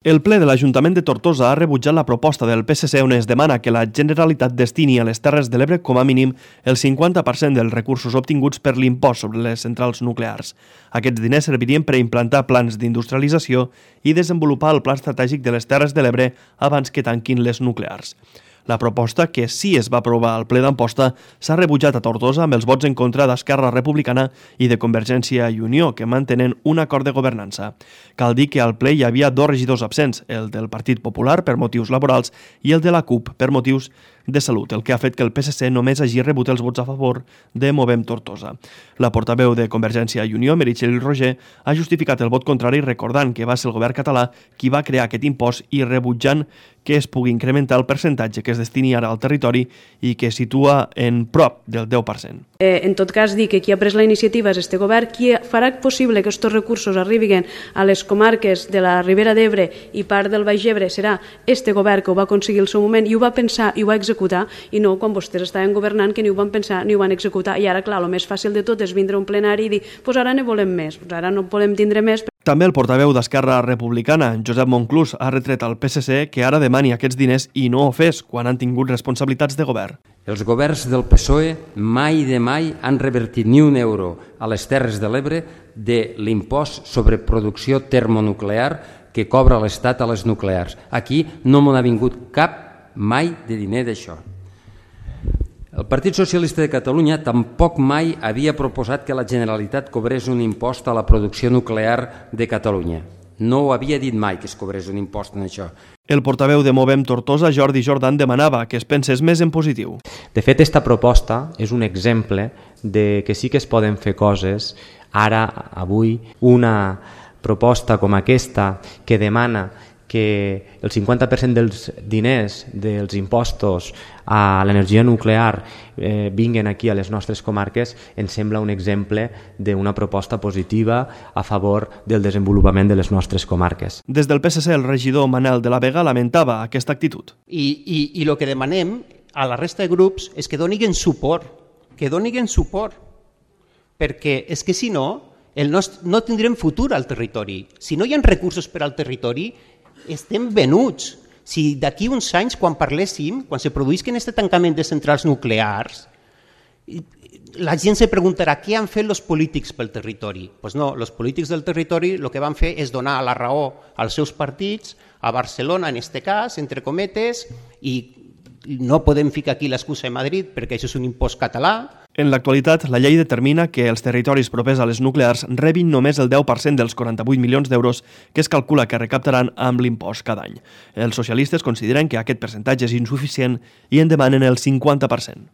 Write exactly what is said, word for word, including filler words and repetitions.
El ple de l'Ajuntament de Tortosa ha rebutjat la proposta del P S C on es demana que la Generalitat destini a les Terres de l'Ebre com a mínim el cinquanta per cent dels recursos obtinguts per l'impost sobre les centrals nuclears. Aquests diners servirien per a implantar plans d'industrialització i desenvolupar el pla estratègic de les Terres de l'Ebre abans que tanquin les nuclears. La proposta, que sí es va aprovar al ple d'Amposta, s'ha rebutjat a Tortosa amb els vots en contra d'Esquerra Republicana i de Convergència i Unió, que mantenen un acord de governança. Cal dir que al ple hi havia dos regidors absents, el del Partit Popular per motius laborals i el de la CUP per motius de salut, el que ha fet que el P S C només hagi rebut els vots a favor de Movem Tortosa. La portaveu de Convergència i Unió, Meritxell Roger, ha justificat el vot contrari recordant que va ser el govern català qui va crear aquest impost i rebutjant que es pugui incrementar el percentatge que es destini ara al territori i que situa en prop del deu per cent. Eh, en tot cas, dir que qui ha pres la iniciativa és este govern, qui farà possible que aquests recursos arribin a les comarques de la Ribera d'Ebre i part del Baix Ebre serà este govern que ho va aconseguir al seu moment i ho va pensar i ho va executar, i no quan vostès estaven governant que ni ho van pensar ni ho van executar. I ara, clar, el més fàcil de tot és vindre a un plenari i dir pues ara ne volem més, pues ara no volem tindre més. També el portaveu d'Esquerra Republicana, Josep Monclús, ha retret al P S C que ara demani aquests diners i no ho fes quan han tingut responsabilitats de govern. Els governs del P S O E mai de mai han revertit ni un euro a les Terres de l'Ebre de l'impost sobre producció termonuclear que cobra l'Estat a les nuclears. Aquí no m'ha vingut cap mai de diner d'això. El Partit Socialista de Catalunya tampoc mai havia proposat que la Generalitat cobrés un impost a la producció nuclear de Catalunya. No ho havia dit mai que es cobrés un impost en això. El portaveu de Movem Tortosa, Jordi Jordan, demanava que es pensés més en positiu. De fet, aquesta proposta és un exemple de que sí que es poden fer coses. Ara, avui, una proposta com aquesta que demana que el cinquanta per cent dels diners dels impostos a l'energia nuclear eh, vinguen aquí a les nostres comarques ens sembla un exemple d'una proposta positiva a favor del desenvolupament de les nostres comarques. Des del P S C, el regidor Manel de la Vega lamentava aquesta actitud. I, i, i el que demanem a la resta de grups és que donin suport, que donin suport, perquè és que si no, el nostre, no tindrem futur al territori. Si no hi ha recursos per al territori, estem venuts. Si d'aquí uns anys, quan parléssim, quan se produïsquen aquest tancament de centrals nuclears, la gent se preguntarà què han fet els polítics pel territori. Doncs pues no, els polítics del territori el que van fer és donar la raó als seus partits, a Barcelona en aquest cas, entre cometes, i no podem ficar aquí l'excusa de Madrid perquè això és un impost català. En l'actualitat, la llei determina que els territoris propers a les nuclears rebin només el deu per cent dels quaranta-vuit milions d'euros que es calcula que recaptaran amb l'impost cada any. Els socialistes consideren que aquest percentatge és insuficient i en demanen el cinquanta per cent.